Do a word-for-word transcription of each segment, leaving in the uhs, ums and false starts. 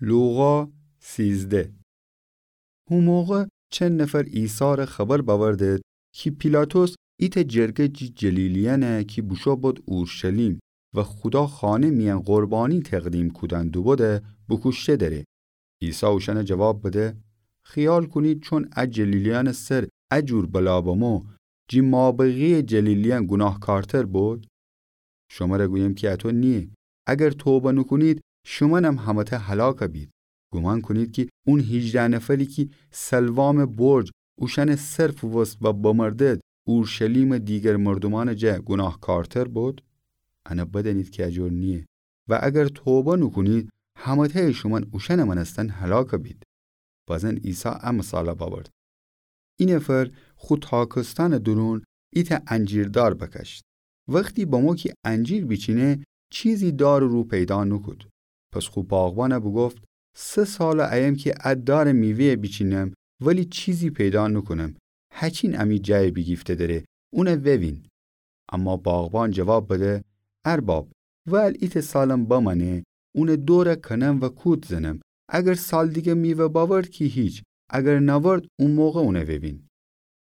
لوقا سیزده. هو موقع چن نفر عیسار خبر بأوردد کی پیلاطس ایتأ جرگه جی جلیلیأنه کی بوشو بد اورشلیم و خودا خانه میأن قربانی تقدیم کودن دوبده بوکوشته دأره. عیسی اوشأنه جواب بده: خیال کونید چون ا جلیلیأنٚ سر ا جور بلا بمو، جی مابقییٚ جلیلیأن گوناهکارتر بد؟ شمره گویم کی اطو نییه. اگر توبه نوکونید، شومأنم همه‌تأ هلاک بید. گومان کونید کی اون هیجده نفری کی سلوامٚ برج اوشأنٚ سر فووست و بمردد، اورشلیمٚ دیگر مردومأنٚ جا گوناهکارتر بد؟ انه بدأنید کی ا جور نییه. و اگر توبه نوکونید، همه‌تأیٚ شومأن اوشأنٚ مأنستن هلاک بید. بازن عیسی ا مثال بأورد: ای نفر خو تاکستأنٚ دورون ایتأ انجیر دار بکشت. وختی بمو کی انجیر بیچینه، چیزی دارٚ رو پیدا نوکود. پس خو باغبانه بوگفت: سه ساله ایم کی ا دارٚ میوه‌یه بیچینم، ولی چیزی پیدا نوکونم. هچین امی جایه بیگیفته دره، اونه ووین. اما باغبان جواب بده: ارباب، وأل ایتأ سالم بمأنه، اونٚ دوره کنم و کود زنم. اگر سال دیگه میوه بأورد کی هیچ، اگر نأورد، او موقع اونه ووین.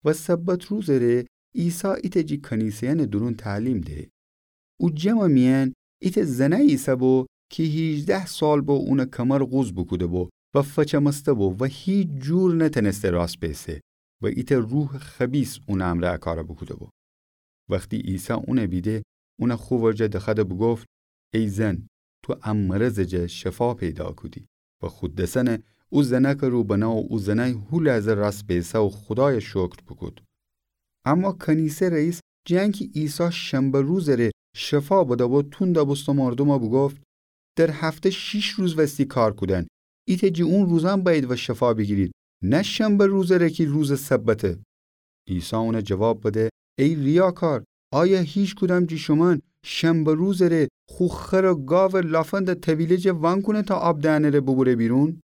و سبت روزٚ ره عیسی ایتأ جی کنیسه‌یأنٚ دورون تعلیم ده. او جمعٚ میأن ایتأ زنأیی ایسه‌بو کی هیجده سال بو اونٚ کمر قوز بوکوده‌بو و فچمسته‌بو و هیچ جور نتأنسته راست بیسه و ایتأ روحٚ خبیث اونٚ امرأ ا کار بوکوده‌بو. وختی عیسی اونه بیده، اونه خو ورجه دخوأده بوگفت: ای زن، تو ا مرضٚ جا شفا پیدا کودی. و خو دسأنه او زنأکٚ رو بنه و او زنأی هو لحظه راست بیسه و خودایه شکر بوکود. اما کنیسه رئیس، جٚه انکی عیسی شنبه روزٚ ره شفا بده‌بو، توند بوسته مردومه بوگفت: در هفته شیش روز وستی کار کودن. ایتأ جی اون روزأن بأیید و شفا بیگیرید، نه شنبه روزٚ ره کی روزٚ سبته. عیسی اونه جواب بده: ای ریاکار، آیا هیچکدام جی شومأن شنبه روزٚ ره خو خر و گاوٚ لافندٚ طویله جا وأنکونه تا آب دئنٚ ره بوبوره بیرون؟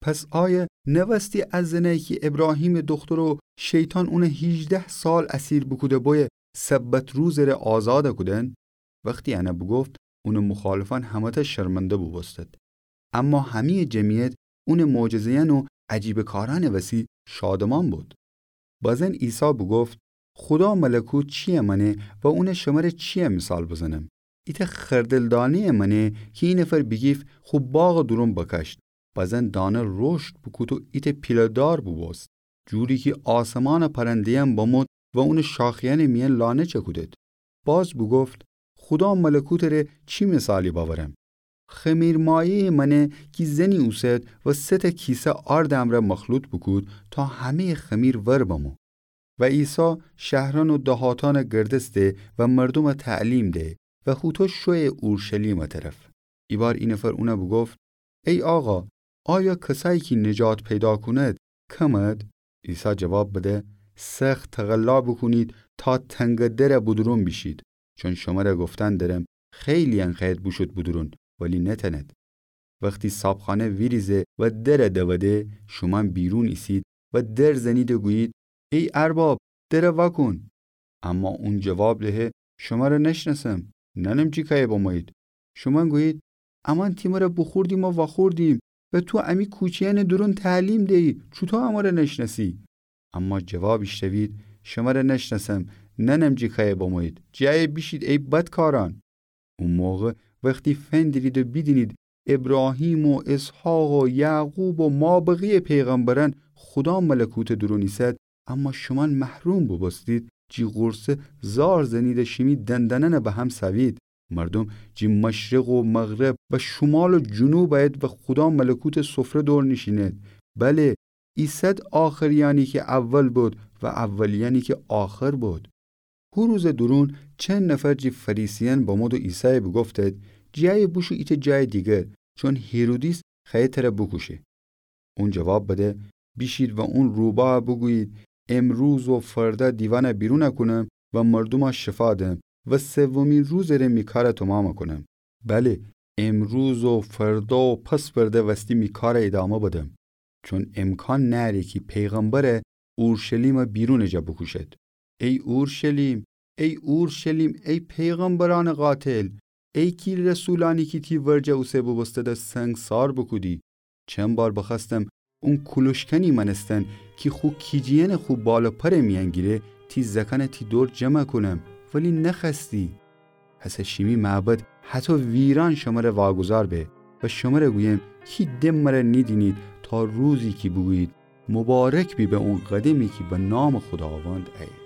پس آیا نوستی ا زنأیی کی ابراهیمٚ دختر و شیطان اونه هیجده سال اسیر بوکوده‌بویه سبت روزٚ ره آزاد کودن؟ وختی انه بوگفت، اونٚ مخالفأن همه‌تأ شرمنده بوبوستد. اما همه‌یٚ جمعیت اونٚ معجزه‌یأن و عجیبه کارأنٚ وسی شادمان بود. بازن عیسی بوگفت: خودا ملکوت چییه مأنه و اونه شمره چییه مثال بزنم؟ ایتأ خردل دانه‌یه مأنه کی ای نفر بیگیفت خو باغٚ دورون بکشت. بازن دانه رشد بوکود و ایتأ پیله دار بوبوست، جوری کی آسمانٚ پرنده‌یأن بمود و اونٚ شاخه‌یأنٚ میأن لانه چکودد. باز بوگفت: خودا ملکوتٚ ره چی مثالی بأورم؟ خمیرمایه‌یه مأنه کی زنی اوسد و سه‌تأ کیسه آردٚ امرأ مخلوط بوکود تا همه‌یٚ خمیر ور بمو. و عیسی شهرأن و دهاتأنٚ گردسته و مردومٚ تعلیم ده و هوطو شویه اورشلیمٚ طرف. ایبار ای نفر اونه بوگفت: ای آقا، آیا کسأیی کی نجات پیدا کونید، کمید؟ عیسی جواب بده: سخت تقلا بوکونید تا تنگٚ درٚ بودورون بیشید، چون شمره گفتن درم، خیلی‌یأن خوأیید بوشود بودورون، ولی نتأنید. وختی صابخانه ویریزه و درٚ دوده، شومأن بیرون ایسید و در زنید و گویید: ای ارباب، درٚ واکون. اما اون جواب دهه: شمره نشنأسم، نأنم جی کأیه بمویید. شومأن گویید: امأن تی مره بوخوردیم و واخوردیم و تو امی کوچه‌یأنٚ دورون تعلیم دیی، چوطو امره نشنأسی؟ اما جواب ایشتوید: شمره نشنأسم، نأنم جی کأیه بمویید، جی ایه بیشید ای بدکارأن. او موقع وختی فندیرید و بیدینید ابراهیم و اسحاق و یعقوب و مابقییٚ پیغمبرأن خودا ملکوتٚ دورون ایسد، اما شومأن محروم بوبوستید، جی غورصه زار زنید و شیمی دندانأن به هم سوید. مردوم جی مشرق و مغرب و شومال و جنوب ایید و خودا ملکوتٚ سفره دور نیشینید. بله، ایسد آخری‌یأنی کی اول بد و اولی‌یأنی کی آخر بد. هو روزٚ دورون چند نفر جی فریسیأن بمود و عیسای بوگفتد: جی ایه بوشو ایتأ جایٚ دیگر، چون هیرودیس خوأیه تره بوکوشه. اون جواب بده: بیشید و اون روباه بوگویید: امروز و فردا دیوأن بیرون کونم و مردوم شفا دم و سومی روزٚ ره می کار تومام کونم. بله، امروز و فردا و پس‌فردا وستی می کار ایدامه بدم. چون امکان نأره کی پیغمبر اورشلیم بیرونٚ جا بوکوشد. ای اورشلیم، ای اورشلیم، ای پیغمبرأنٚ قاتل، ای کی رسولأنی کی تی ورجه اوسه بوبوستد سنگسار بوکودی، چند بار بخوأستم اون کولوشکنی مأنستن کی خو کیجیأنٚ خو بال و پرٚ میأن گیره، تی زأکأنَ تی دور جمع کونم، ولی نخوأستی. پس ا شیمی معبد هطو ویران شمره واگذار به و شمره گویم کی ده مره نیدینید تا روزی کی بوگویید: مبارک بی به اون قدمی کی به نامٚ خوداوند ایه.